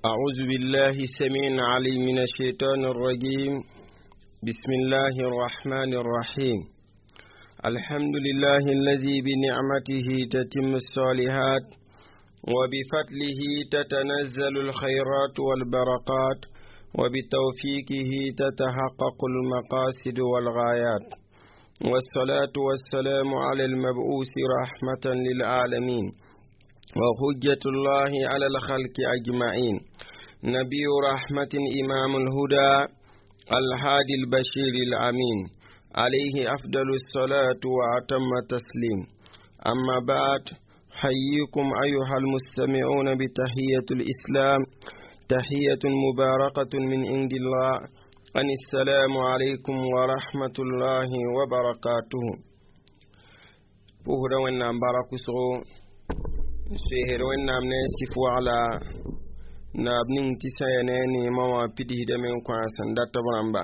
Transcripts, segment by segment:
أعوذ بالله السميع العليم من الشيطان الرجيم. بسم الله الرحمن الرحيم. الحمد لله الذي بنعمته تتم الصالحات، وبفضله تتنزل الخيرات والبركات، وبتوفيقه تتحقق المقاصد والغايات، والصلاة والسلام على المبعوث رحمة للعالمين وحجة الله على الخلق أجمعين، نبي رحمة، إمام الهدى، الهادي البشير الأمين، عليه أفضل الصلاة وأتم التسليم. أما بعد، حييكم أيها المستمعون بتحية الإسلام، تحية مباركة من عند الله، أن السلام عليكم ورحمة الله وبركاته. Pʋʋsda Wẽnnaam bark wʋsgo, n soeesd Wẽnnaam ne sɩf wagla naab ning tɩ sã ya ne a neemã wã pidsdame n kõ a sẽn dat b rãmba.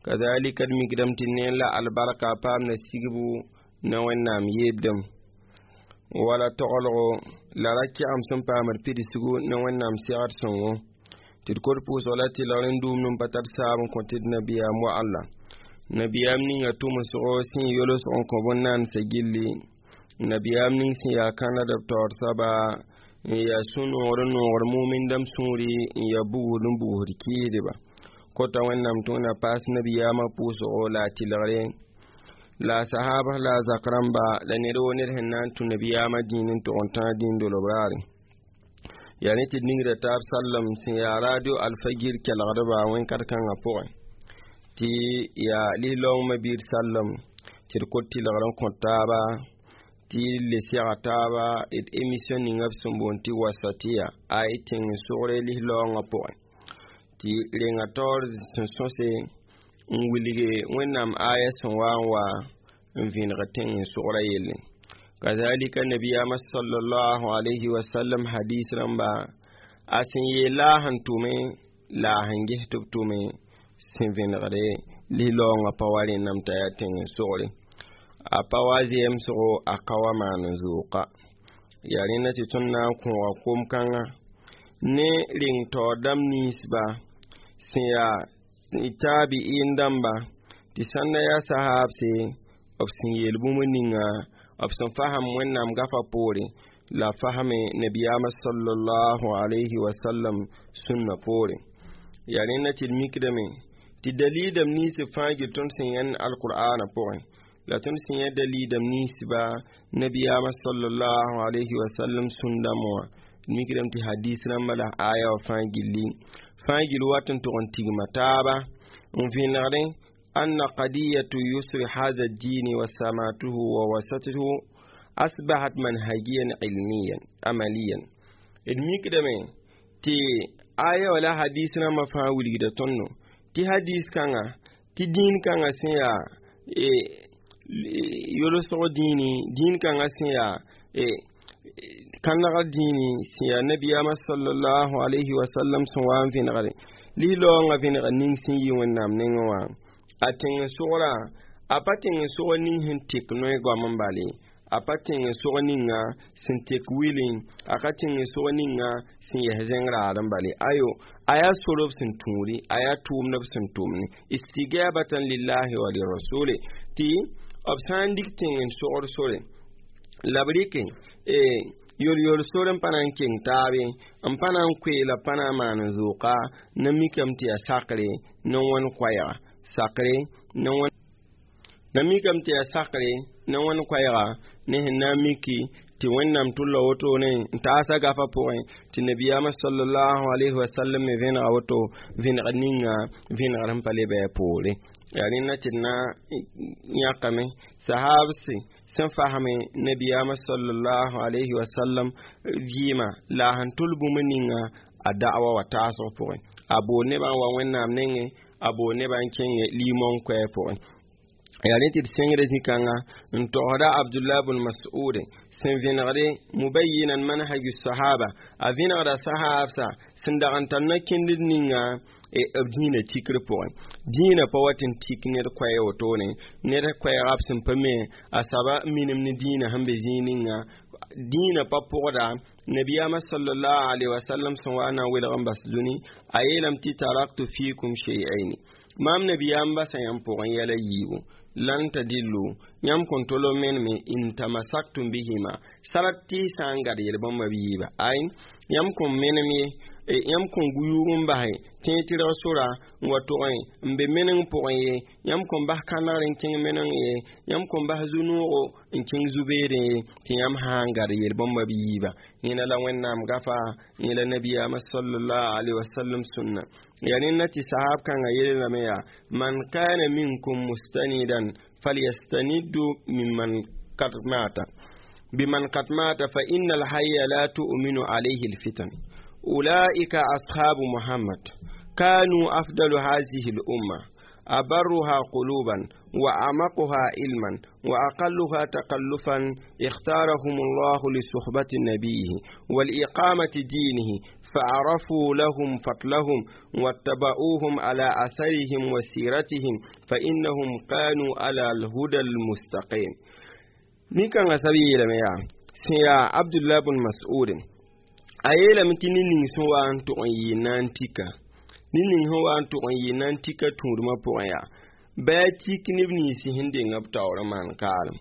Kazalika d mikdame tɩ ne la albarka paam na sigbu ne Wẽnnaam yeebdem wala toglgo la ra kɛgem sẽn paamd pidsgu ne Wẽnnaam segd sõngo, tɩ d kot pʋʋsg la tɩlgr n duumd n pa tar saab n kõ tɩ d nabiyaam wa alla nabiyaam ninga tʋmsgo sẽn yolsg n kõ bõn-naandsã gilli, nabiyaam ning sẽn yaa kãnad b taoor soaba, n yaa sũ-noogr n noogr mumindame sũuri, n yaa bugd n bugsd kɩɩsdba. Kota Wẽnnaam tɩ Wẽnna paas nabiyaamã pʋʋsgo la a tɩlgre, la a sahaabs, la a zak rãmba, la ned woo ned sẽn na n tũ nabiyaamã dĩin n tog n tãag dĩin dolb raare. Yaa ne tɩ d ningda taab sallem sẽn yaa radio Alfagir kelgdba wẽn-kat-kãngã pʋgẽ, tɩ yaa lislaoong mabiir sallem, tɩ d kot tɩlgr n kõ taaba, tɩ le sega taaba d émission ninga b sẽn boond tɩ Wasatiya ay tẽng n sogre lislaoongã pʋgẽ, tɩ renga taoor sẽn sõse n wilge Wẽnnaam aya sẽn wa n wa n vẽneg tẽng n sogra yelle, kazalika nabiyaamã sallallahu alayhi wa sallam hadis rãmba a sẽn yeel la a sẽn tʋme la a sẽn ges tɩ b tʋme sẽn vẽnegde lislaoongã pa wa rẽnname t'a yaa tẽng n sogre, a pa wa zemsgo, a ka wa maan n zooka. Yaa rẽnda tɩ tõnd na n kõoga kom-kãngã ne reng taoor dãmb ninsba sẽn yaa taabi'in dãmba, tɩ sãn da yaa sahaabse, b sẽn yeel bũmb ninga b sẽn fasem Wẽnnaam gafa poore la fasme nabiyaamã sallallahu alayhi wa sallam sũnna poore. Yaa rẽnda tɩ d mikdame tɩ dalilame nins fãa gil tõnd sẽn yãnd alqur'ana pʋgẽ, la tõnd sẽn yã dalilame ninsba nabiyaamã sallallahu alayhi wa sallam sũndame wã. D mikdame tɩ hadis rãmba la aya wã fãa gilli fãa gil wat n tʋg n tigma taaba n vẽnegdẽ أن قضية يسر هذا الدين وسماته ووسطه أصبحت منهجيا علميا عمليا. D mikdame tɩ aya wala hadis rãmbã fãa wilgda tõndo tɩ hadis kãngã, tɩ dĩin kãngã sẽn yaa yolsg dĩini, dĩin kãngã sẽn yaa kãnegr dĩini, sẽn yaa nabiyaamã sallallahu alayhi wa sallam sẽn wa n vẽnegre lislaoongã vẽnegr ning sẽn yi Wẽnnaam nengẽ wã, a tẽng n sogra, a pa tẽng n sog ning sẽn tek noe goam n bale, a pa tẽng n sog ninga sẽn tek wilẽ, a ka tẽng n sog ninga sẽn yɛs zẽng raad n bale. Ayo, a yaa sor b sẽn tũudi, a yaa tʋʋmd b sẽn tʋmne, istigabatan lillahi wa lirasuli, tɩ b sã n dig tẽng n sogr sore la b rɩke yol-yol sor n pa na n keng taabe, n pa na n koee la pa na n maan n zooka na mikame tɩ yaa sakre ne wãn koɛɛga, sakre ne wãn na mikame tɩ yaa sakre ne wãn koɛɛga ne sẽn na n miki tɩ Wẽnnaam tʋlla wotone n taasa gafa pʋgẽ, tɩ nabiyaamã sallallahu alayhi wa sallam me vẽnega woto, vẽnegr ninga vẽnegr sẽn pa le bɩ a poore. Yaa rẽnda tɩ d na yãkame sahabse sẽn fasme nabiyaamã sallallahu alayhi wa sallam vɩɩmã la a sẽn tʋl bũmb ninga a da'wa wa taasg pʋgẽ, a bool nebã n wa Wẽnnaam nengẽ, a bool nebã n kẽngẽ limong koɛɛ pʋgẽ. Yaa rẽ tɩ d sẽngda zĩ-kãngã n togsda Abdullah bn Mas'ud sẽn vẽnegde mubayinan manhaju sahaba, a vẽnegda sahabsa sẽn dag n tar na-kẽndr ninga b dĩinã tikr pʋgẽ. Dĩinã pa wat n tik ned koɛɛ wotone, ned koɛɛga b sẽn pa me a saba minim ne dĩinã sẽn be zĩig ninga dĩinã pa pʋgda. Nabiyaamã sallallahu alaihi wasallam sẽn wa na n welg n bas dũni, a yeelame tɩ taraktu fikum shay'aini, maam nabiyaam basa yãmb pʋgẽ yɛla yiibu, lan tadillu, yãmb kõn tol n meneme, in tamasaktum bihima, sarat tɩ sã n gad yel-bãmba b yiiba. Ay, yãmb kõn menem ye, yãmb kõn guyuug n basẽ tẽeg tɩrg sora n wa tʋgẽ n be meneng pʋgẽ ye, yãmb kõn bas kãnegr n kẽng meneng ye, yãmb kõn bas zu-noogo n kẽng zu-beedẽ ye, tɩ yãmb sã n gad yel-bãmba b yiiba. Yẽna la Wẽnnaam gafa, yẽ la nabiyaamã sallallahu alaihi wasallam sũnna. Ya rẽnda tɩ sahab kãngã yeelame yaa: man kana minkum mustanidan falyastaniddu mimman kad mata biman kad mata fa inna alhayya la tu'minu alayhi alfitan. Ulaika ashabu Muhammad kanu afdalu hazihi lumma, أبرها قلوبا وأعمقها علما وأقلها تكلفا، اختارهم الله لصحبة نبيه والإقامة دينه، فعرفوا لهم فضلهم واتبعوهم على أثرهم وسيرتهم، فإنهم كانوا على الهدى المستقيم. Nin-kãngã sab yeelame yaa sẽn yaa Abdullah bn Mas'ud, a yeelame tɩ ned ning sẽn wa n tʋg n yɩ na n tika, ned ning sẽn wa n tʋg n yɩ na n tika tũudmã pʋgẽ, yaa bɩ a tik neb nins sẽn deng b taoor n maan kaalem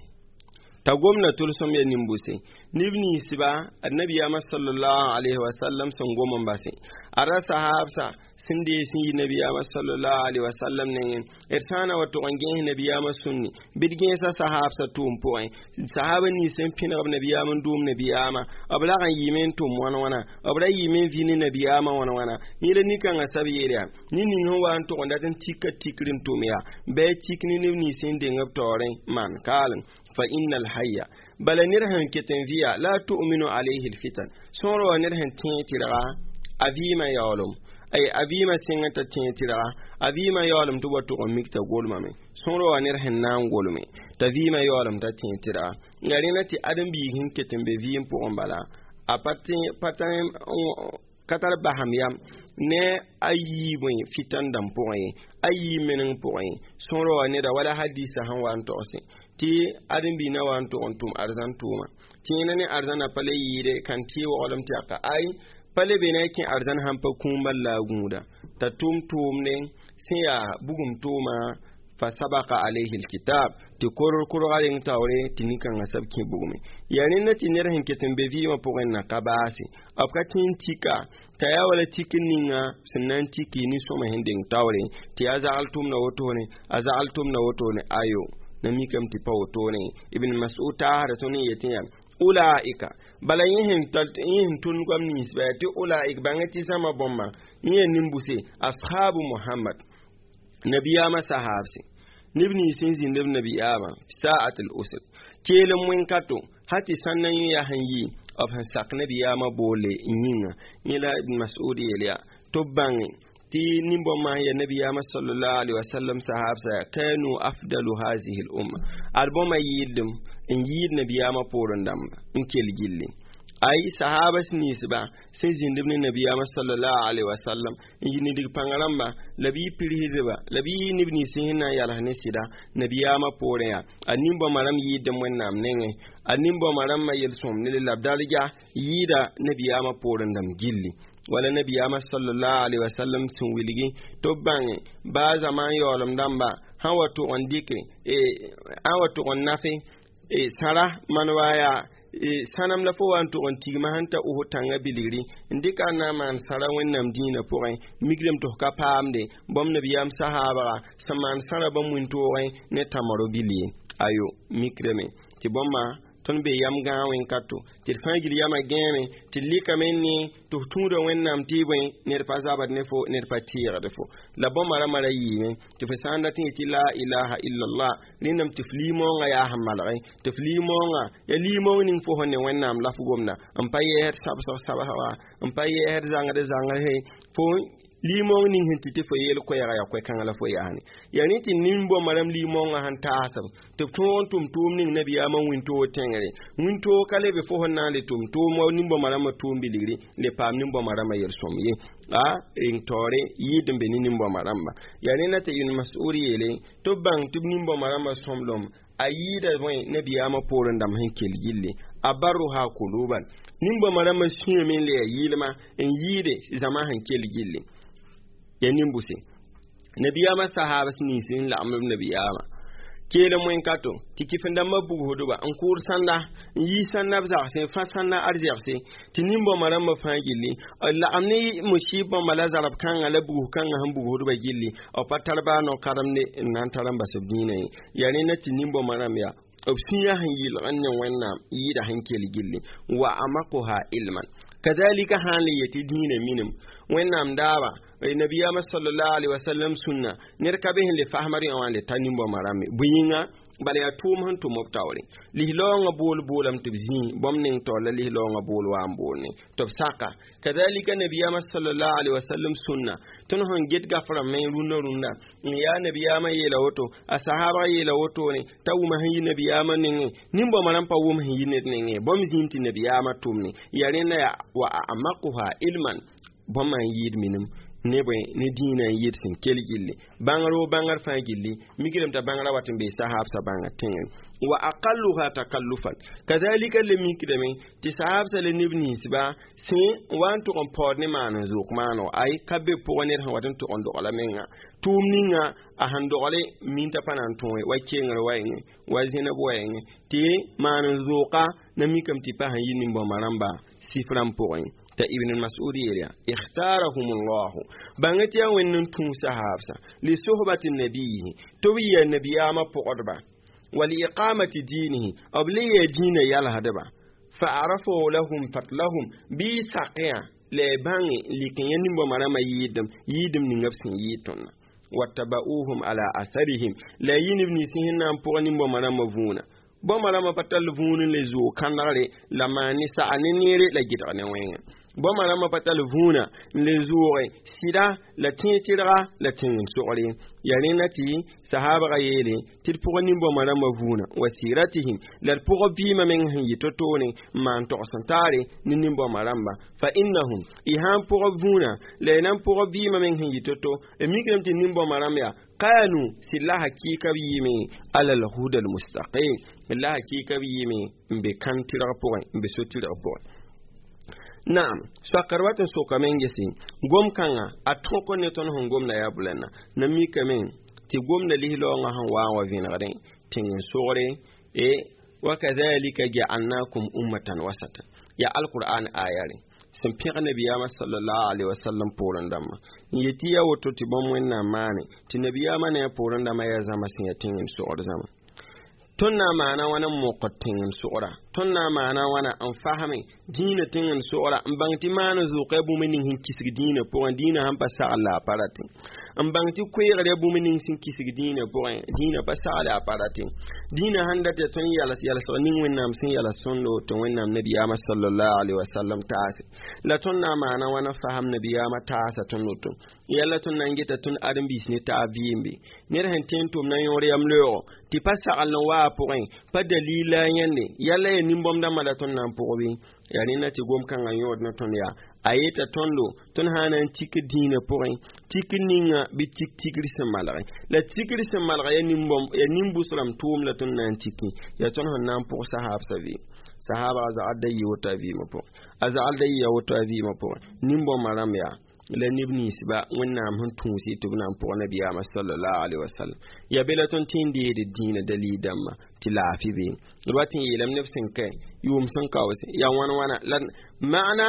t'a gomda tʋlsem ya nimbuse neb ninsba annabiyaamã sallallahu alaihi wasallam sẽn gom n base a ra sahabsa sẽn dee sẽn yi nabiyaamã sallallahu alaihi wasallam nengẽ. D sã n na wa tʋg n gẽes nabiyaamã sũnni bɩ d gẽesa sahabsã tʋʋm pʋgẽ, sahaba nins sẽn pẽneg b nabiyaam n dʋʋm nabiyaamã, b lag n yɩɩme n tʋm wãn wãna, b ra yɩɩme n vɩ ne nabiyaamã wãn wãna. Yẽ la nin-kãngã sab yeel yaa ned ning sẽn wa n tʋg n dat n tika tikr n tʋm yaa bɩ a tik ne neb nins sẽn deng b taoorẽ maan kaalem, fa inna alhayya, bala ned sẽn ket n vɩya, la tu'minu alayhi alfitan, sõor wa ned sẽn tẽeg tɩrga a vɩɩmã yaoolem, ay a vɩɩmã sẽngã t'a tẽeg tɩrga a vɩɩmã yaoolem tɩ wa tʋg n mik t'a golmame. Sõor wa ned sẽn na n golme t'a vɩɩmã yaoolem t'a tẽeg tɩrga ya rẽna tɩ ãdem-biig sẽn ket n be vɩɩm pʋgẽ, bala a pa ka tar basam yam ne a yiibẽ fitan dãmb pʋgẽ ye, a yiib meneng pʋgẽ ye. Sõor wa neda wala hadisa sẽn wa n togsẽ tɩ ãdem-biig na wa n tʋg n tʋm arzãn tʋʋma tɩ yẽna ne arzãna pa le yɩɩde kan tɩ waoolem tɩ aka ay pa le be na kẽ arzãn sãn pa kũum bal la a gũuda t'a tʋm tʋʋmde sẽn yaa bugum tʋʋma, fa sabaka alayhi alkitab, tɩ koror korga reng taoore tɩ nin-kãngã sab kẽ bugme. Yaa rẽnda tɩ ned sẽn ket n be vɩɩmã pʋgẽ na ka baase, b ka tẽ n tika t'a yaa wala tik ninga sẽn na n tiki nin-sõma sẽn deng taoore tɩ yaa zagl tʋmda wotone, a zagl tʋmda wotone, ayo na mikame tɩ pa wotone. Ibn Mas'ud taasda tõnd n yetẽ yaa ulaika, bala yẽ sẽn tʋnd goam ninsba yaa tɩ ulaik bãngẽ tɩ zãma bõmba yẽ yaa nimbuse ashabu Muhammad, nabiyaamã sahaabse, neb nins sẽn zĩnd b nabiyaamã sa'at al usr keelem wẽn-kato ha tɩ sãn na yẽ yaa sẽn yi b sẽn sak nabiyaamã boole yĩnga. Yẽ la Ibn Mas'ud yeel yaa tɩ b bãnge tɩ nin-bõmba sẽn yaa nabiyaamã sallallahu alaihi wasallam sahabsa kanu afdalu hazihi l umma, ad bõmba yɩɩdem n yɩɩd nabiyaamã poorẽ dãmba n kell gilli. Ay sahabas ninsba sẽn zĩnd b ne nabiyaamã sallallahu alaihi wasallam n yɩ nidg pãng rãmba la bɩ pirsdba la bɩ neb nins sẽn na n yals ne sɩda nabiyaamã poorẽ yaa a nin-bõmba rãmb yɩɩdem Wẽnnaam nengẽ, a nin-bõmba rãmbã yel-sõm ne la b darja yɩɩda nabiyaamã poorẽ dãmb gilli. Wala nabiyaamã sallallahu alaihi wasallam sẽn wilgi tɩ b bãnge baa zaman yaoolem dãmba sã wa tʋg n dɩke sã wa tʋg n nafe sãra man wa yaa sãnem la fo wa n tʋg n tigma sẽn ta os tãngã bilgri n dɩka n na n maan sãra Wẽnnaam dĩinã pʋgẽ migrame tɩ f ka paamde bõmb nabiyaam sahaabga sẽn maan sãra bãmb wĩntoogẽ ne tãmaro bil ye. Ayo mikrame tɩ bõmba tõnd be yam gãag wẽn-kato tɩ d fãa gil yamã gãeme tɩ d lɩkame ne tɩ f tũuda Wẽnnaam tɩ bõe ned pa zabd ne fo, ned pa teegd fo la bõmba rãmbã ra yɩɩme tɩ f sã n dat n yetɩ la ilaha illallah rẽndame tɩ f liimoongã yaa sẽn malge tɩ f liimoongã ya liimoong ning fo sẽn ne Wẽnnaam la f gomda n pa yɛɛsd sabsg sabsga n pa yɛɛsd zãngd zãngse fo liimoong ning sẽn tɩ tɩ fo yeel koɛɛga yaa koɛ-kãngã la fo yaasne. Yaa rẽ tɩ nin-bõmba rãmb liimoongã sẽn taasb tɩ b tõog n tʋm tʋʋm ning nabiyaamã wĩntoog tẽngre wĩntoog ka lebe fo sẽn na n le tʋm tʋʋm wa nin-bõmba rãmbã tʋʋm bilgri le paam nin-bõmba rãmbã yel-sõm ye a reng taoore yɩɩd n be ne nin-bõmba rãmba. Yaa rẽnda tɩ Ibn Mas'ud yeele tɩ b bãng tɩ b nin-bõmba rãmbã sõmblem A yɩɩda bõe nabiyaamã poorẽ dãmb sẽn kell gilli abarruha kuluban nin-bõmã rãmbã sũyame n le ya yɩlma n yɩɩde zãma sẽn kell gilli ya nin-bʋse nabiyaamã sahabs nins n lagem b nabiyaamã keelem wẽn-kato tɩ kɩf-n-dãmbã bugsdba n kʋʋd sãnda n yiis sãnda b zagsẽ fã sãnda arzɛgse tɩ nin-bõmã rãmbã fãa gilli b lagem ne musib bãmba la zarb kãngã la bugs kãngã sẽn bugsdba gilli b pa tar baa no-karemde n na n tar n bas b dĩinã ye yaa rẽnda tɩ nin-bõmã rãmb yaa b sũyã sẽn yɩlg n ne Wẽnnaam yɩɩda sẽn kell gilli wa amaquha ilman kazalika sã n le yetɩ dĩinã minim Wẽnnaam daaba nabiyaamã sallallahu alaihi wasallam sũnna ned ka be sẽn le fasmd yã wã n le ta nin-bõmã rãmbe bõe yĩnga bala yaa tʋʋm sẽn tʋm b taoore lislaoongã bool boolame tɩ b zĩi bõmb ning taoor la lislaoongã bool wa n boolne tɩ b saka kazalika nabiyaamã sallallahu alaihi wasallam sũnna tõnd sẽn get gaframe rũndã rũndã n yaa nabiyaamã yeela woto a sahabã yeela wotone t'a wʋma sẽn yi nabiyaamã nengẽ nin-bõmã rãmb pa wʋm sẽn yi ned nengẽ bõmb zĩim tɩ nabiyaamã tʋmne yaa rẽnda yaa wa amaquha ilman bõmba n yɩɩd minim ne bõe ne dĩinã n yɩɩd sẽn kell gilli bãngr wo bãngr fãa gilli mikdame t'a bãngrã wat n bee sahabsã bãnga tẽngẽ wa aqalluha takallufan kazalika le mikdame tɩ sahabsã le neb ninsba sẽ wa n tʋg n paood ne maan n zook maano ay ka be pʋgẽ ned sẽn wat n tʋg n dogla menga tʋʋm ninga a sẽn dogle min t'a pa na n tõe wa kengr wa yẽngẽ wa zẽneb wa yẽngẽ tɩ maan n zooka na mikame tɩ pa sẽn yi nin-bõmba rãmba sif rãmb pʋgẽ ta Ibn Mas'ud yeelya ikhtarahum Allah bãng tɩ yaa Wẽnd n tũu sahaabsã li sohbati nabiyihi tɩ b yɩa nabiyaamã pʋgdba wa liiqamati diinihi b le yaa dĩinã yalsdba fa arafu lahum fadlahum bɩ sakẽ la y bãnge lik n yã nin-bõmã rãmbã yɩɩdem yɩɩdem ninga b sẽn yɩɩd tõndã wattaba'uhum ala atharihim la y yɩ neb nins sẽn na n pʋg nin-bõmã rãmbã vũuna bõmba rãmbã pa tall vũun n le zoog kãndgre la maan ne sa'a ne neere la gɩdg ne wẽnga bõmba rãmbã pa tall vũuna n le zooge sɩda la tẽeg tɩrga la tẽng n sogre yaa rẽnda tɩ sahabga yeele tɩ d pʋg nin-bõmba rãmbã vũuna wa siratihim la d pʋg vɩɩmã meng sẽn yɩ to-toore n maan togs n taare ne nin-bõmba rãmba fa innahum y sã n pʋg vũuna la y na n pʋg vɩɩmã meng sẽn yɩ to-to d mikdame tɩ nin-bõmba rãmb yaa kanu sɩd la hakɩɩka b yɩɩme ala alhuda almustaqim la hakɩɩka b yɩɩme n be kãn tɩrg pʋgẽ n be so-tɩrg pʋgẽ naam soakr wat n sokame n gese gom-kãngã a tõk ne tõnd sẽn gomda yaa bulãna na mikame tɩ gomda lislaoongã sẽn wa n wa vẽnegdẽ tẽng n sogre e wakadhalika ja'alnakum ummatan wasatan ya alqur'an ayare sẽn pẽg nabiyaamã sallallahu alaihi wasallam poorẽ dãmbã n yetɩ yaa woto tɩ bõmb Wẽnnaam maane tɩ nabiyaamã ne a poorẽ dãmbã yaa zãma sẽn yaa tẽng n sogd zãma tõnd na n maana wãna n mokd tẽng n sogra tõnd na n maana wãna n fasme dĩinã tẽng n sogra n bãng tɩ maan n zʋʋka yaa bũmb ning sẽn kisg dĩinã pʋgẽ dĩinã sãn pa sagl la a pa ratẽ n bãng tɩ koeegr yaa bũmb ning sẽn kisg dĩinã pʋgẽ dĩinã pa sagl a pa ratẽ dĩinã sãn dat yaa tõnd yals yalsg ning Wẽnnaam sẽn yals tõndo tɩ Wẽnnaam nabiyaamã sallallahu alaihi wasallam taase la tõnd na n maana wãna fasem nabiyaamã taasa tõnd woto yalla tõnd na n geta tõnd ãdem-biis ne taab vɩɩmbe ned sẽn tõe n tʋm na yõor yam loeego tɩ pa sagl n wa a pʋgẽ pa dalila yãnde yalla ya nin-bõmb dãmbã la tõnd na n pʋgbe yaa rẽnda tɩ gom-kãngã yõod ne tõnd yaa a yeta tõndo tõnd sã na n tik dĩinã pʋgẽ tik ninga bɩ tik tigr sẽn malge la tigr sẽn malg ya nin-bõmb ya nin-bʋs rãmb tʋʋm la tõnd na n tiki yaa tõnd sẽn na n pʋg sahaabsã vɩ sahaba a zagd da yɩ woto a vɩɩmã pʋgẽ a zagd da yɩ woto a vɩɩmã pʋgẽ nin-bõmbã rãmb yaa la neb ninsba Wẽnnaam sẽn tũusi tɩ b na n pʋg nabiyaamã sallallahu alaihi wasallam yaa be la tõnd tɩ n deed dĩinã dalil dãmbã tɩ laafɩ be d wat n yeelame neb sẽn ka yʋʋm sẽn kaoose yaa wãn wãna la maana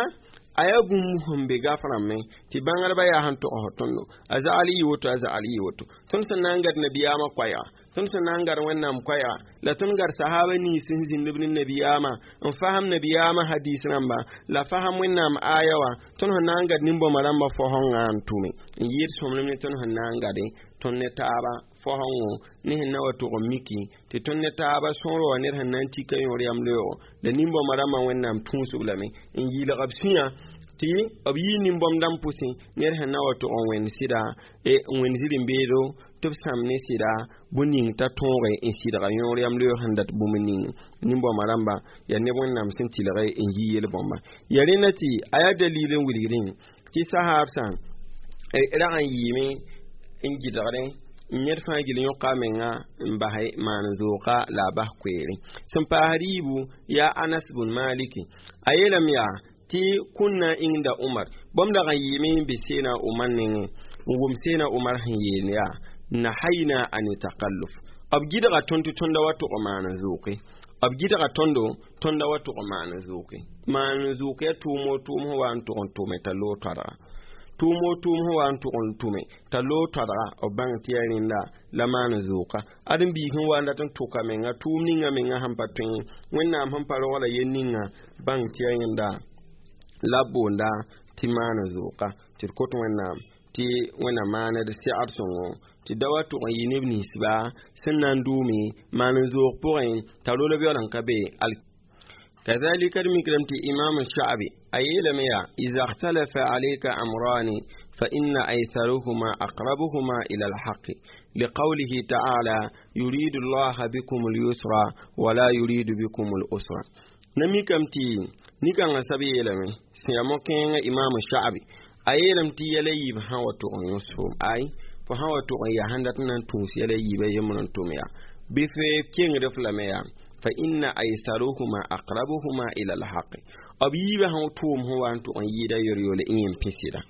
a yaa bũmb sẽn be gaf rãmbẽ tɩ bãngdbã yaa sẽn togsd tõndo a zagl yɩ woto a zagl yɩ woto tõnd sẽn na n gad nabiyaamã koɛɛga tõnd sẽn na n gad Wẽnnaam koɛɛga la tõnd gad sahaba nins sẽn zĩnd b ne nabiyaamã n fasem nabiyaamã hadis rãmba la fasem Wẽnnaam aya wã tõnd sẽn na n gad nin-bõmba rãmbã fosẽngã n tʋme n yɩɩd sõmblem ne tõnd sẽn na n gade tõnd ne taaba fosẽngo ne sẽn na wa tʋg n miki tɩ tõnd ne taaba sõor wa ned sẽn na n tika yõor yam loeego la nin-bõmba rãmbã Wẽnnaam tũusb lame n yɩlg b sũyã tɩ b yɩ nin-bõmb dãmb pʋsẽ ned sẽn na wa tʋg n wẽnd sɩda n wẽnd zĩr-n-beedo tɩ b sãm ne sɩda bũn ning t'a tõoge n sɩdga yõor yam loeeg sẽn dat bũmb ning nin-bõmba rãmba yaa neb Wẽnnaam sẽn tɩlge n yi yel-bõmba yaa rẽnda tɩ a yaa dalil n wilgdẽ tɩ sahaabsã rag n yɩɩme n gɩdgdẽ Ned fãa gil yõka a menga n bas maan zooka la a bas koeere sẽn paasd yiibu yaa Anas bun Maliki. A yeelame yaa tɩ kũnna inda Umar bõmb dag n yɩɩme n be Seena Umar nengẽ n wʋm Seena Umar sẽn yeel yaa nahayna ani takalluf. B gɩdga tõnd tɩ tõnda wa tʋg maan n zooke. B gɩdga tõndo tõnda wa tʋg maan n zooke. Maan n zooke yaa tʋʋm o tʋʋm sẽn wa n tʋg n tʋme t'a loog toadga, tʋʋm o tʋʋm sẽn wa n tʋg n tʋme t'a loog toadga. B bãng tɩ yaa rẽnda la maan n zooka. Ad n biig sẽn wa n dat n tʋka menga tʋʋm ninga menga sẽn pa tõe Wẽnnaam sẽn pa rogla yel ninga bãng tɩ yaa rẽnda la b boonda tɩ maan n zooka. Tɩ d kot Wẽnnaam tɩ Wẽnnaam maaned segd sõngo tɩ da wa tʋg n yɩ neb ninsba sẽn na n dʋʋme maan n zoog pʋgẽ t'a rolb yaool n ka be. Kazalika d mikrame tɩ Imam Sha'bi a yeelame yaa iza ikhtalafa alayka amrani fa inna aysaruhuma aqrabuhuma ila alhaqi liqawlihi ta'ala yuridu allaha bikum alyusra wala yuridu bikum alusra. Na mikame tɩ nin-kãngã sab yeelame sẽn yaa mo-kẽengã Imam Sha'bi a yeelame tɩ yɛla yiib sã wa tʋg n yõs foom ay fo sã wa tʋg n yaa sẽn dat n na n tũus yɛla yiibã yembr n tʋm yaa bɩ f kengd f lame yaa fa inna aysaruhuma aqrabuhuma ila alhaqi. B yiibã sã tʋʋm sẽn wa n tʋg n yɩɩda yor-yole y yẽm pĩsɩda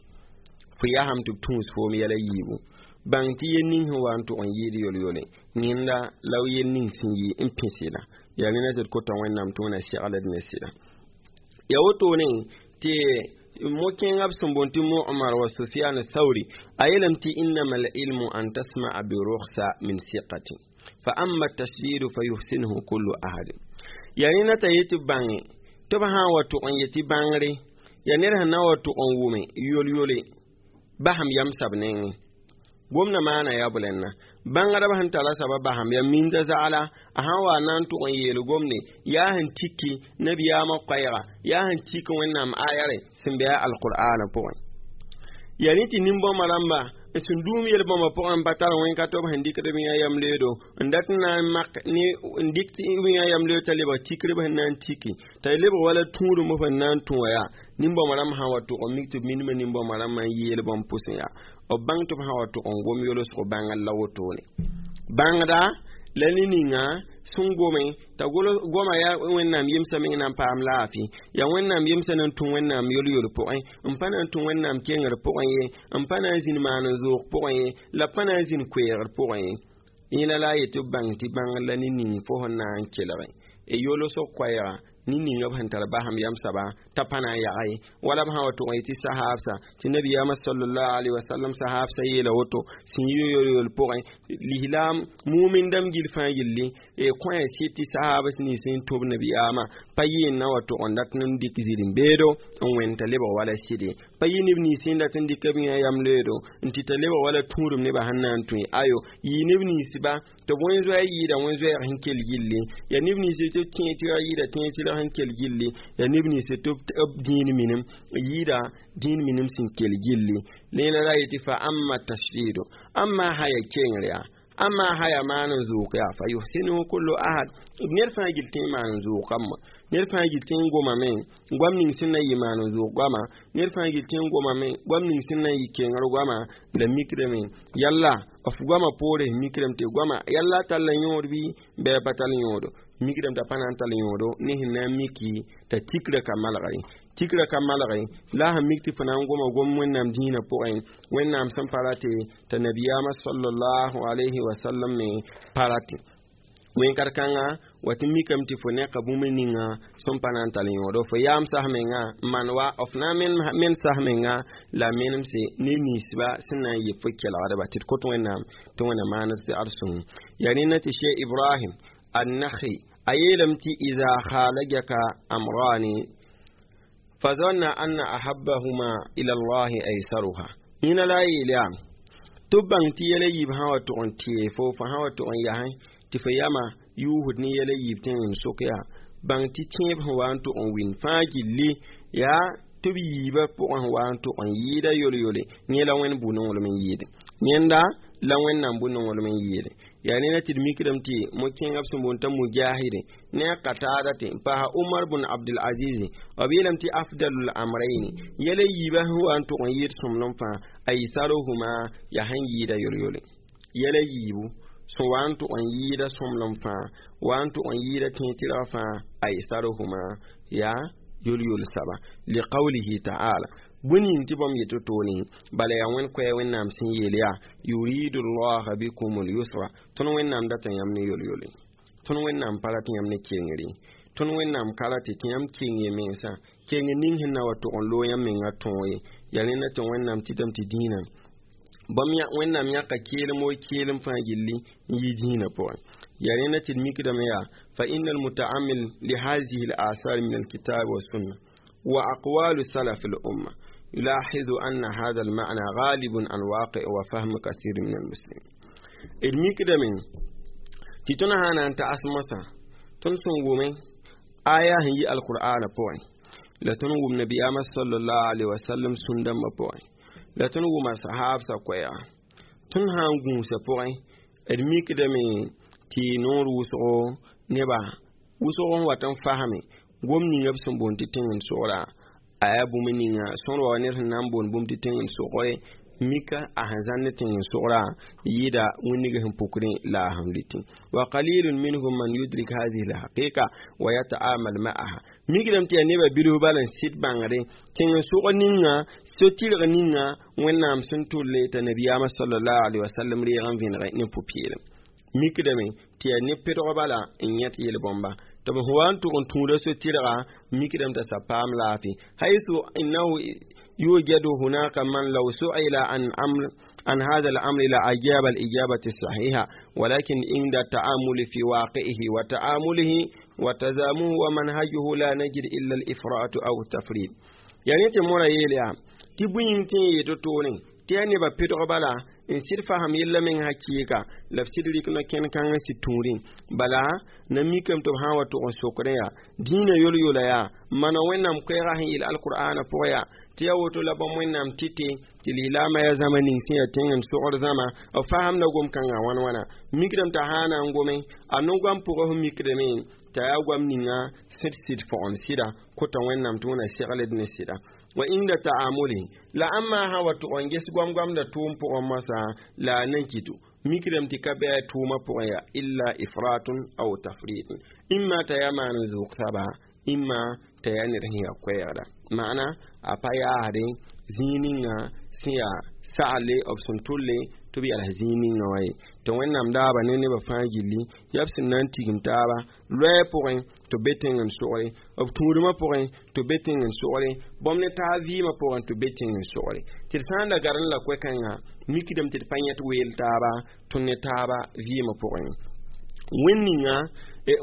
fo yasame tɩ b tũus foom yɛla yiibu bãng tɩ yel ning sẽn wa n tʋg n yɩɩd yol-yole yẽnda la yel ning sẽn yɩ n pĩsɩda yaa rẽna tɩ d kota Wẽnnaam tɩ Wẽnna segld ne sɩda ya wotone tɩ mo-kẽengã b sẽn boond tɩ Mu'mar wa Sufyan Thauri a yeelame tɩ innama alilmu an tasma'a birukhsa min siqatin fa amma tashdidu fa yuhsinuhu kullu ahad. Yaa rẽna t'a yetɩ bãnge tɩ b sã n wa tʋg n yetɩ bãngre yaa ned sẽn na wa tʋg n wʋme yol-yole basem yam sab nengẽ gomdã maana yaa bʋlɛnna bãngdb sẽn tara saba basem yaa minda zagla a sã n wa na n tʋg n yeel gomde yaa sẽn tiki nabiyaamã koɛɛga yaa sẽn tik Wẽnnaam ayare sẽn be a alqur'ana pʋgẽ yaa rẽ tɩ nin-bãmba rãmba n sẽn dũum yel-bãmba pʋgẽ n pa tar wẽn-ka tɩ b sẽn dɩkd b yã yam leedo n dat n na n mak ne n dɩk b yã yam leedo t'a lebg tikrb sẽn na n tiki t'a lebg wala tũudum f sẽn na n tũ wã yaa nin-bãmba rãmb sã n wa tʋg n mik tɩ b minimã nin-bãmba rãmbã n yeel bãmb pʋsẽ yaa b bãng tɩ b sã wa tʋg n gom yolsg bãngr la wotone bãngda la ne ninga sẽn gome t'a goma yaa Wẽnnaam yemsã meng na n paam laafɩ yaa Wẽnnaam yemsã na n tũ Wẽnnaam yol-yol pʋgẽ n pa na n tũ Wẽnnaam kengr pʋgẽ ye n pa na n zĩnd maan n zoog pʋgẽ ye la pa na n zĩnd koeegr pʋgẽ ye. Yẽla la a yetɩ b bãng tɩ bãngr la ne ning fo sẽn na n kelge e yolsg koɛɛga ne ninga b sẽn tar basem yam saba t'a pa na n yaga ye wala b sã wa tʋg n yetɩ sahaabsa tɩ nabiyaamã sallallahu alaihi wasallam sahaabsa yeela woto sẽn yɩ yol-yol pʋgẽ lislaam mumin dãmb gil fãa gilli e kõ sɩd tɩ sahaabs nins n tʋb nabiyaamã pa yɩ n na wa tʋg n dat n dɩk zĩr-n-beedo n wẽn t'a lebg wala sɩde pa yɩ neb nins n dat n dɩk b yã yam leedo n tɩ t'a lebg wala tũudum nebã sẽn na n tũ ayo yɩ neb ninsba tɩ bõe-zoɛɛ yɩɩda wẽn-zoɛɛg sẽn kell gilli yaa neb nins tɩ tẽeg tɩ yɩɩda tẽeg tɩrg sẽn kell gilli yaa neb nins tɩ b dĩin minim yɩɩda dĩin minim sẽn kell gilli lẽela la yetɩ fa amma tashdido amma haya kengr yaa amma haya maan n zoog yaa fa yuhsinuhu kullu ahad. Ned fãa gil tẽ maan n zoogame ned fãa gil tẽ n gomame goam ning sẽn na yɩ maan n zoog goama ned fãa gil tẽ n gomame goam ning sẽn na yɩ kengr goama la mikrame yalla f goama poore mikrame tɩ goama yalla tall yõod bɩ bɩ pa tall yõodo mikrame t'a pa na n tall yõodo ne sẽn na n miki t'a tikrã ka malge tikrã ka malge la sẽn mik tɩ fo na n goma gom Wẽnnaam dĩinã pʋgẽ Wẽnnaam sẽn pa rate t'a nabiyaamã sallallahu alayhi wa sallam me pa rate wẽn-kar-kãngã wa tɩ mikame tɩ fo neka bũmb ninga sẽn pa na n tall yõodo fo yaam sas menga n maan wa f na n men sas menga la menemse ne ninsba sẽn na n yɩ fo kelgdba tɩ d kot Wẽnnaam tɩ Wẽnnaam maan d segd sõng yaa rẽnda tɩ Cheikh Ibrahim Annakhi a yeelame tɩ iza khalajaka amrani fa zanna anna ahabbahuma ila allahi aysaruha yẽna la a yeel yaa tɩ b bãng tɩ yɛla yiib sã wa tʋg n tee fo fo sã wa tʋg n yasẽ tɩ fo yama yuusd ne yɛla yiib tẽng n sok yaa bãng tɩ tẽeb sẽn wa n tʋg n wɩn fãa gilli yaa tɩ b yiibã pʋgẽ sẽn wa n tʋg n yɩɩda yol-yole yẽ la Wẽnd bu-nonglem n yɩɩde yẽnda la Wẽnnaam bu-nonglem n yɩɩde yaa neda tɩ d mikrame tɩ mo-kẽengã b sẽn boond t'a Mujahide ne a Qatada tɩ n paasa Umar bn Abdul Aziz b yeelame tɩ afdalul amrayni yɛla yiibã sẽn wa n tʋg n yɩɩd sõmblem fãa aysaruhuma yaa sẽn yɩɩda yol-yole. Yɛla yiibu sẽn wa n tʋg n yɩɩda sõmblem fãa, wa n tʋg n yɩɩda tẽeg-tɩrg fãa, aysaruhuma yaa yol-yol saba liqawlihi ta'ala. Bũmb ning tɩ bãmb yet to-toore, bala yaa wẽnd koɛɛ Wẽnnaam sẽn yeel yaa yuridu llaha bikum lyusra. Tõnd Wẽnnaam data yãmb ne yol-yole, tõnd Wẽnnaam pa rat yãmb ne kengre, tõnd Wẽnnaam ka rat tɩ yãmb keng y mensã keng ning sẽn na wa tʋg n loog yãmb menga tõog ye. Yaa rẽnda tɩ Wẽnnaam tɩtame tɩ dĩinã bãmb Wẽnnaam yãka keelem wo keelem fãa gilli n yi dĩinã pʋgẽ. Yaa rẽnda tɩ d mikdame yaa fa inna almutaamil lihadihi al-athar min alkitab wa sunna wa aqwalu salaf al-umma يلاحظ أن هذا المعنى غالب عن واقع وفهم كثير من المسلمين. D mikdame tɩ tõnd sã na n tags mosã, tõnd sẽn wʋme aya sẽn yi alqur'ana pʋgẽ, la tõnd wʋm nabiyaamã sallallahu alaihi wasallam sũn-dãmbã pʋgẽ, la tõnd wʋma sahabsã koɛɛga, tõnd sã n gũusã pʋgẽ, d mikdame tɩ noor wʋsgo neba wʋsg n wat n fasme gom ninga b sẽn boond tɩ tẽng n sogra a yaa bũmb ninga sõr wa ned sẽn na n boond bũmb tɩ tẽng n sogre mika a sẽn zãnd tẽng n sogra yɩɩda wĩnnig sẽn pukrẽ la a sẽn lʋtẽ. Wa qalilun minhum man yudrik hadihi lhaqiqa wa yata'amal ma'aha. Mikdame tɩ yaa nebã bilf bal n sɩd bãngre tẽng n sog ninga so-tɩrg ninga Wẽnnaam sẽn tʋlle t'a nabiyaamã sallallahu alaihi wasallam reeg n vẽnege ne pʋ-peelem. Mikdame tɩ yaa ne pedg bala n yẽt yel-bõmba tɩ b wa n tʋg n tũuda so-tɩrga, mikdame t'a sa paam laafɩ haythu innahu يوجد هناك من لو سئل عن أمر عن هذا الأمر لأجاب الإجابة الصحيحة، ولكن عند التأمل في واقعه وتعامله وتزامه ومنهجه لا نجد إلا الإفراط أو التفريط. يعني تمورا يليا تبين تي تتوني tɩ neba pɩdg bala n sɩd fasem yella meng hakɩɩka la b sɩd rɩk no-kẽn-kãngã sɩd tũudẽ bala na mikame tɩ b sã n wa tʋg n sokrẽ yaa dĩinã yol-yola yaa mana Wẽnnaam koɛɛga sẽn yeel alqur'ana pʋgẽ yaa tɩ yaa woto la bãmb Wẽnnaam tɩte tɩ lislaamã yaa zãma ning sẽn yaa tẽng n sogd zãma b fasemda gom-kãngã wãn wãna. Mikdame t'a sã na n gome a no-goam pʋgẽ sẽn mikdame t'a yaa goam ninga sẽd sɩd fõgen sɩda kota Wẽnnaam tɩ wẽna segled ne sɩda wa inda ta'amuli la amma ha wa tʋg n ges goam-goamda tʋʋm pʋgẽ moasã la a najidu mikdame tɩ ka bɩ a tʋʋmã pʋgẽ yaa illa ifratun aw tafritun, imma t'a yaa maan n zʋʋg saba, imma t'a yaa ned sẽn yaa koɛɛgda maana a pa yaasde zĩig ninga sẽn yaa sagle b sẽn tʋlle tɩ b yals zĩig ninga wã ye. Tɩ Wẽnnaam daaba ne nebã fãa gilli yaa b sẽn na n tigim taaba loɛɛ pʋgẽ tɩ b be tẽng n sogre, b tũudmã pʋgẽ tɩ b be tẽng n sogre, bãmb ne taab vɩɩmã pʋgẽ tɩ b be tẽng n sogre. Tɩ d sã n da gar n la koɛ-kãngã mikdame tɩ d pa yẽt weel taaba tõnd ne taaba vɩɩmã pʋgẽ wẽnd ninga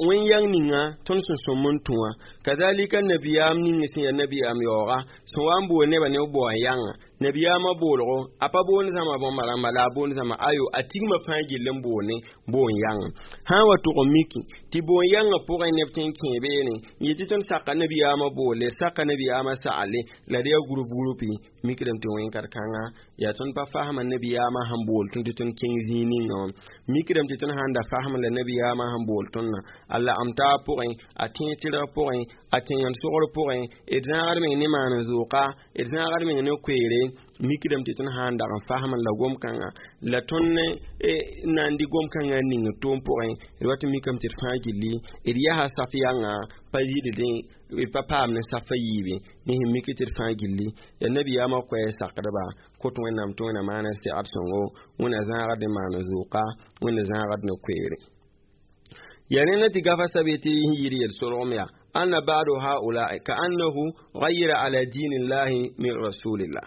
wẽn yang ninga tõnd sẽn sõm n tũ wã. Kazalika nabiyaam ning sẽn yaa nabiyaam yaooga sẽn wa n bool nebã ne b bao n yãnga nabiyaamã boolgo a pa boond zãma bãmba rãmba la a boond zãma ayo a tigmã fãa gill n bool ne boon yãnga sã n wa tʋg n miki tɩ boon yãngã pʋgẽ neb tẽ n kẽe beene n yetɩ tõnd saka nabiyaamã boolle saka nabiyaamã sagle la d yaa group groupi. Mikdame tɩ wẽn-kar-kãnga yaa tõnd pa fasma nabiyaamã sẽn bool tõnd tɩ tõnd kẽng zĩig ninga wã. Mikdame tɩ tõnd sãn da fasma la nabiyaamã sẽn bool tõndã a lagem taab pʋgẽ a tẽeg tɩrg pʋgẽ a tẽng n sogr pʋgẽ d zãagd meng ne maan n zʋʋka d zãagd meng ne koeere. Mikdame tɩ tõnd sã n dag n fasm la gom-kãngã la tõnd na n dɩ gom-kãngã n ning tʋʋm pʋgẽ d wat n mikame tɩ d fãa gilli d yasa saf yãnga pa yɩldẽ d pa paam ne safa yiibe ne sẽn mik tɩ d fãa gilli yaa nabiyaamã koɛɛ sakdba kot Wẽnnaam tɩ Wẽnna maana segd sõngo Wẽnna zãagd ne maan zʋʋka Wẽnna zãagd ne koeere. Yaa rẽnda tɩ gafa sabe tɩ yɩɩd yel-solgem yaa أن بعض هؤلاء كأنه غير على دين الله من رسول الله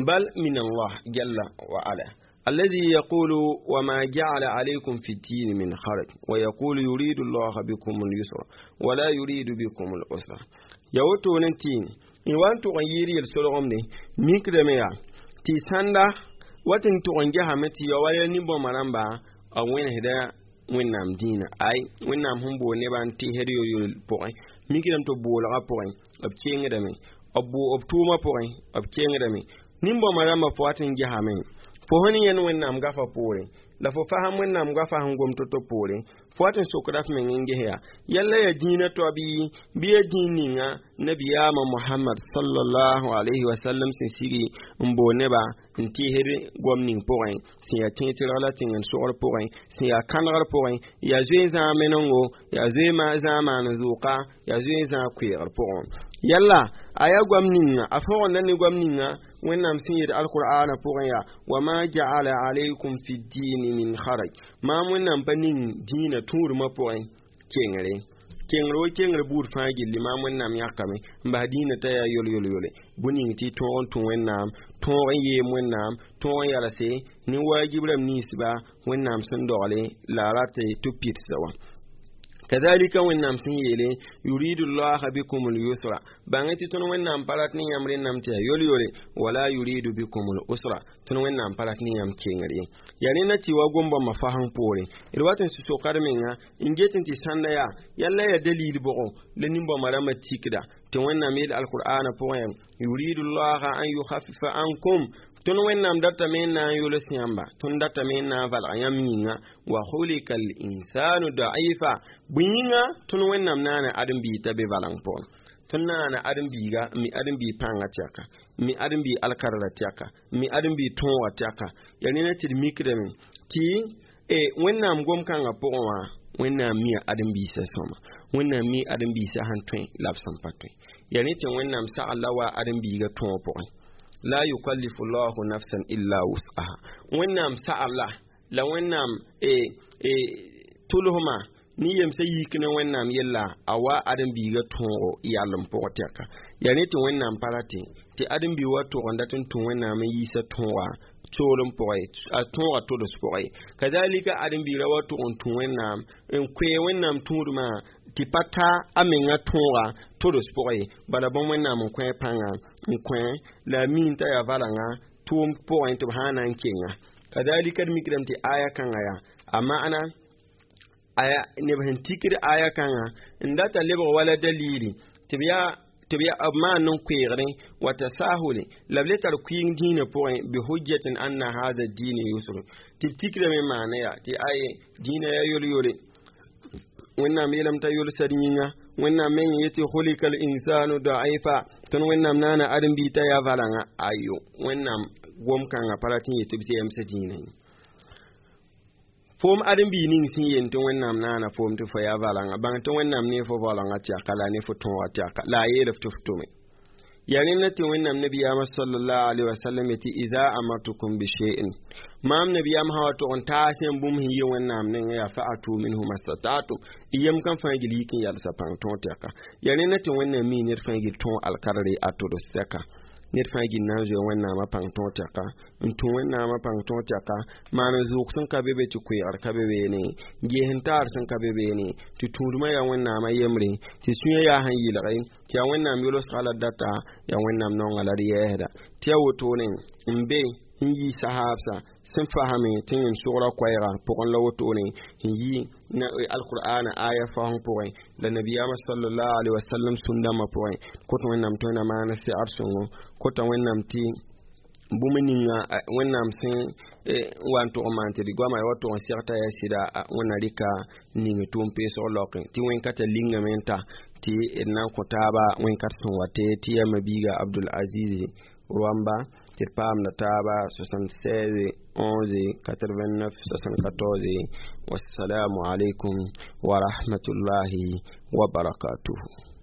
بل من الله جل وعلا الذي يقول وما جعل عليكم في الدين من حرج ويقول يريد الله بكم اليسر ولا يريد بكم العسر. يوتو نتين إن وانتو غيري السلغم دي ميكرميا تي ساندا واتن تغنجها متي يوالي نبو مرامبا أو وين هدا Wẽnnaam dĩinã ay Wẽnnaam sẽn bool nebã n tɩsd yolyol pʋgẽ mikdame tɩ b boolgã pʋgẽ b kengdame b tʋʋmã pʋgẽ b kengdame nin-bõmba rãmbã fo wat n gesame fo sẽn yẽnd Wẽnnaam gafa poorẽ la fo fasem Wẽnnaam gafa sẽn gom to-to poorẽ fo wat n sokda f meng n ges yaa yalla yaa dĩinã toa bɩ yaa dĩin ninga Nabiyaamã Mohamad sallallahu alayhi wa sallam sẽn sigi n bool neba n tɩɩsd goam ning pʋgẽ, sẽn yaa tẽeg-tɩrg la tẽng n sogr pʋgẽ, sẽn yaa kãnegr pʋgẽ, yaa zoe zãag menengo, yaa zoe zãag maan zʋʋka, yaa zoe zãag koeegr pʋgẽ. Yalla a yaa goam ninga a fõgenda ne goam ninga Wẽnnaam sẽn yet alqur'ana pʋgẽ yaa: wama ja'ala alaykum fi dini min haraj. Maam Wẽnnaam pa ning dĩinã tũudmã pʋgẽ kengre kengr wo kengr buud fãa gilli. Maam Wẽnnaam yãkame n bas dĩinã t'a yaa yol yol yole bũ ning tɩ tõog n tũ Wẽnnaam, tõog n yeem Wẽnnaam, tõog n yalse ne waajib rãmb ninsba Wẽnnaam sẽn dogle la a rat tɩ b pidsa wã. Kazalika Wẽnnaam sẽn yeele: yuridu llaha bikum lyusra, bãng tɩ tõnd Wẽnnaam pa rat ne yãmb rẽnname tɩ yaa yol-yole, wala yuridu bikum lusra, tõnd Wẽnnaam pa rat ne yãmb kengr ye. Yaa rẽnda tɩ wa gom-bãmbã fasẽng poore d wat n sʋ-sokad menga n get n tɩ sãnda yaa yalla yaa dalil bʋgo la nin-bãmbã rãmbã tikda tɩ Wẽnnaam yeel alqur'ana pʋgẽ: yuridu llaha an yukhafifa ankum, tõnd Wẽnnaam datame n na n yols yãmba, tõnd datame n na n valg yãmb yĩnga, wa khulika al insanu daifa. Bõe yĩnga tõnd Wẽnnaam naana ãdem-biig t'a be valeng pʋgẽ? Tõnd naana ãdem-biiga n mi ãdem-biig pãnga tɛka, n mi ãdem-biig alkarra tɛka, n mi ãdem-biig tõoga tɛka. Yaa rẽna tɩ d mikdame tɩ Wẽnnaam gom-kãngã pʋgẽ wã, Wẽnnaam mia ãdem-biisã sõma, Wẽnnaam mi ãdem-biisã sẽn tõe la b sẽn pa tõe. Yaa rẽ tɩ Wẽnnaam sagl la wa ãdem-biigã tõog pʋgẽ: la yukallifu llahu nafsan illa wus'aha. Wẽnnaam sagl la Wẽnnaam tʋlsma ne yemsã yik ne Wẽnnaam yella a wa ãdem-biigã tõogo yalem pʋgẽ tɛka. Yaa rẽ tɩ Wẽnnaam pa rate tɩ ãdem-biig wa tʋg n dat n tũ Wẽnnaam n yiisa tõoga soolem pʋgẽ, a tõoga tods pʋgẽ. Kazalika ãdem-biigrã wa tʋg n tũ Wẽnnaam n koe Wẽnnaam tũudmã tɩ pa ta a menga tõoga tods pʋgẽ. Bala bõmb Wẽnnaam n kõ pãnga n kõ la a miin t'a yaa valanga tʋʋm pʋgẽ tɩ b sã n na n kenga. Kazalika d mikdame tɩ aya kãngã yaa a maana aya neb sẽn tikd aya kãngã n data lebg wala dalili tɩ b yaa tɩ b yaa b maan n koeegre wa tasahule la b le tar kʋɩɩng dĩinã pʋgẽ bi hujjatin anna hada dini yusr, tɩ b tikrame maana yaa tɩ aye dĩinã yaa yol-yole. Wẽnnaam yeelame t'a yolsd yĩnga, Wẽnnaam meng yetɩ khulikal insanu daifa, tõnd Wẽnnaam naana ãdem-biig t'a yaa valanga. Ayo, Wẽnnaam gom-kãngã pa rat n yet tɩ b zɛɛmsã dĩinã ye. Foom ãdem-biig ning sẽn yel tɩ Wẽnnaam naana foom tɩ fo yaa valanga, bãng tɩ Wẽnnaam ne fo valanga tɛka la ne fo tõoga tɛka la a yeel f tɩ f tʋme. Yaa rẽnda tɩ Wẽnnaam nabiyaamã sallallahu alaihi wasallam yetɩ: ida amartukum bi shay'in, maam nabiyaam sã wa tʋg n taas yãmb bũmb sẽn yi Wẽnnaam nengẽ yaa fa'atu minhu mastata'tum, y yem kan fãa gil yik n yalsa pãng tõog tɛka. Yaa rẽnda tɩ Wẽnnaam mii ned fãa gil tõog alkarre a tods tɛka. Ned fãa gil na n zoe Wẽnnaamã pãng tõog tɛka, n tũ Wẽnnaamã pãng tõog tɛka, maan n zʋʋg sẽn ka be be, tɩ koeegr ka be beene, ges n taar sẽn ka be beene, tɩ tũudmã yaa Wẽnnaamã yembre, tɩ sũyã yaa sẽn yɩlge, tɩ yaa Wẽnnaam yolsga la data, yaa Wẽnnaam naonga la d yɛɛsda. Tɩ yaa wotone n be n yi sahaabsa sẽn fasame tɩ yẽn sogra koɛɛga pʋgẽ la wotone n yi alqur'ana aya fasẽng pʋgẽ la nabiyaamã sallallahu alaihi wasallam sũn-dãmbã pʋgẽ. Kõt Wẽnnaam tõe na maan segd sõngo, kota Wẽnnaam tɩ bũmb ninga Wẽnnaam sẽn wa n tʋg n maan tɩ d goama wa tʋg n seg t'a yaa sɩda. Wẽnna rɩka ning tʋʋm peesg laokẽ tɩ wẽn-kãtã lingame n ta tɩ d na n kõ taaba wẽn-kat sẽn wa tɩ yaa mabiiga Abdul Aziz Rwamba tɩ d paamda taaba 76 11 89 74. Wassalamu alaikum wa rahmatullahi wa barakatuhu.